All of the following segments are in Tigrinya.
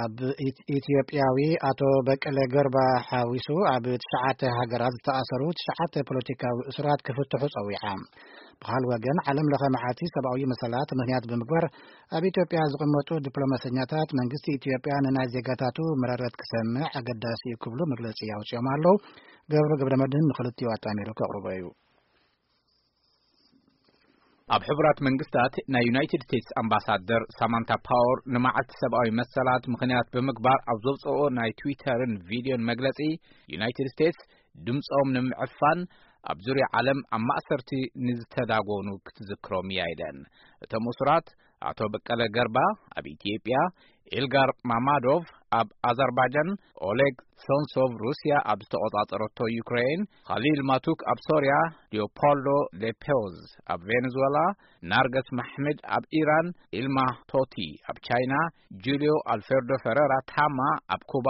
ኣብ ኢት-፣ ኢትዮጵያዊ ኣቶ በቀለ ገርባ ሓዊሱ ኣብ ትሽዓተ ሃገራት ዝተኣሰሩ ትሽዓተ ፖለቲካዊ እሱራት ክፍትሑ ጸዊዓ። ብኻል ወገን፣ ዓለም ለኸ መዓልቲ ሰብኣዊ መሰላት ምኽንያት ብምግባር ኣብ ኢትዮጵያ ዝቕመጡ ዲፕሎማሰኛታት መንግስቲ ኢትዮጵያ ንናይ ዜጋታቱ መረረት ክሰምዕ ኣገዳሲ እዩ ክብሉ መግለጺ ኣውጺኦም ኣለዉ። ገብሩ ገብረ መድህን ንኽልቲኡ ኣጣሚሩ ከቕርቦ እዩ። ኣብ ሕቡራት መንግስታት ናይ ዩናይትድ ስቴትስ ኣምባሳደር ሳማንታ ፓወር ንመዓልቲ ሰብኣዊ መሰላት ምኽንያት ብምግባር ኣብ ዘውፅኦ ናይ ትዊተርን ቪድዮን መግለፂ፣ ዩናይትድ ስቴትስ ድምፆም ንምዕፋን ኣብ ዙርያ ዓለም ኣብ ማእሰርቲ ንዝተዳጎኑ ክትዝክሮም እያ ኢለን። እቶም እሱራት ኣቶ በቀለ ገርባ ኣብ ኢትዮጵያ፣ ኢልጋር ማማዶቭ ኣብ ኣዘርባጃን፣ ኦሌግ ሶንሶቭ ሩስያ ኣብ ዝተቖጻጸረቶ ዩክሬን፣ ኻሊል ማቱክ ኣብ ሶርያ፣ ሊዮፖልዶ ሌፔዝ ኣብ ቬኔዙዌላ፣ ናርገስ ማሕምድ ኣብ ኢራን፣ ኢልማ ቶቲ ኣብ ቻይና፣ ጁልዮ ኣልፌርዶ ፈረራ ታማ ኣብ ኩባ፣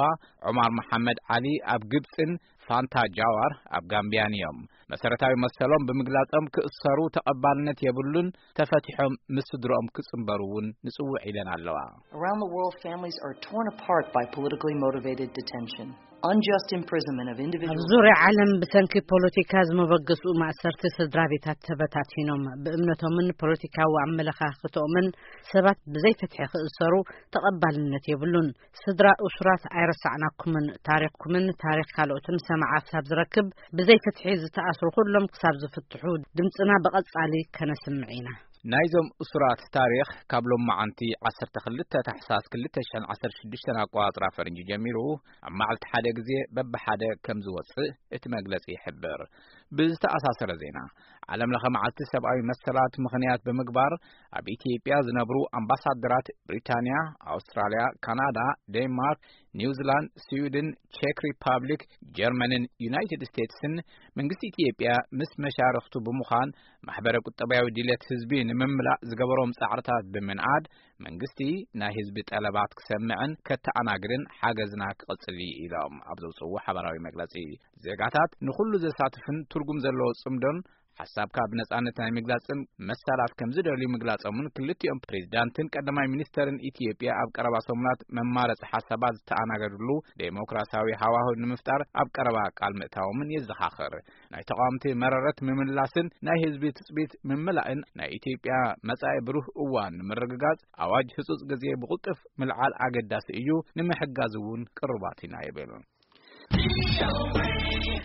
ዑማር መሓመድ ዓሊ ኣብ ግብጽን ፋንታ ጃዋር ኣብ ጋምቢያን እዮም። መሰረታዊ መሰሎም ብምግላጾም ክእሰሩ ተቐባልነት የብሉን፣ ተፈቲሖም ምስ ስድሮኦም ክጽንበሩ እውን ንጽውዕ ኢለን ኣለዋ። Around the world, families are torn apart by politically motivated detention, unjust imprisonment of ኣብ individuals. ዙርያ ዓለም ብሰንኪ ፖለቲካ ዝመበገስኡ ማእሰርቲ ስድራ ቤታት ተበታቲኖም፣ ብእምነቶምን ፖለቲካዊ ኣመለኻኽቶምን ሰባት ብዘይ ፍትሒ ክእሰሩ ተቐባልነት የብሉን። ስድራ እሱራት ኣይረሳዕናኩምን፣ ታሪኽኩምን ታሪኽ ካልኦትን ሰማዓ ክሳብ ዝረክብ፣ ብዘይ ፍትሒ ዝተኣስሩ ኩሎም ክሳብ ዝፍትሑ ድምፅና ብቐጻሊ ከነስምዕ ኢና። ናይዞም እሱራት ታሪኽ ካብ ሎማዓንቲ ዓሰርተ ክልተ ታሕሳስ ክልተ ሽሕን ዓሰርተ ሽዱሽተን ኣቆጻጽራ ፈረንጂ ጀሚሩ ኣብ መዓልቲ ሓደ ግዜ በብሓደ ከም ዝወጽእ እቲ መግለጺ ይሕብር። ብዝተኣሳሰረ ዜና፣ ዓለም ለኸ መዓልቲ ሰብኣዊ መሰላት ምኽንያት ብምግባር ኣብ ኢትዮጵያ ዝነብሩ ኣምባሳደራት ብሪታንያ፣ ኣውስትራልያ፣ ካናዳ፣ ዴንማርክ፣ ኒውዚላንድ፣ ስዊድን፣ ቼክ ሪፓብሊክ፣ ጀርመንን ዩናይትድ ስቴትስን መንግስቲ ኢትዮጵያ ምስ መሻርኽቱ ብምዃን ማሕበረ ቁጠባዊ ድሌት ህዝቢ ንምምላእ ዝገበሮም ጻዕርታት ብምንኣድ መንግስቲ ናይ ህዝቢ ጠለባት ክሰምዕን ከተኣናግድን ሓገዝና ክቕጽል እዩ ኢሎም ኣብ ዘውፅዎ ሓበራዊ መግለጺ። ዜጋታት ንኹሉ ዘሳትፍን ትርጉም ዘለዎ ጽምዶን ሓሳብካ ብነጻነት ናይ ምግላጽን መሰላት ከም ዝደልዩ ምግላጾምን ክልቲኦም ፕሬዚዳንትን ቀዳማይ ሚኒስተርን ኢትዮጵያ ኣብ ቀረባ ሰሙናት መማረጺ ሓሳባት ዝተኣናገድሉ ዴሞክራሲያዊ ሃዋህው ንምፍጣር ኣብ ቀረባ ቃል ምእታዎምን የዘኻኽር። ናይ ተቓወምቲ መረረት ምምላስን ናይ ህዝቢ ትጽቢት ምምላእን ናይ ኢትዮጵያ መጻኢ ብሩህ እዋን ንምርግጋጽ ኣዋጅ ህጹጽ ግዜ ብቕልጡፍ ምልዓል ኣገዳሲ እዩ፣ ንምሕጋዝ እውን ቅሩባት ኢና ይብል።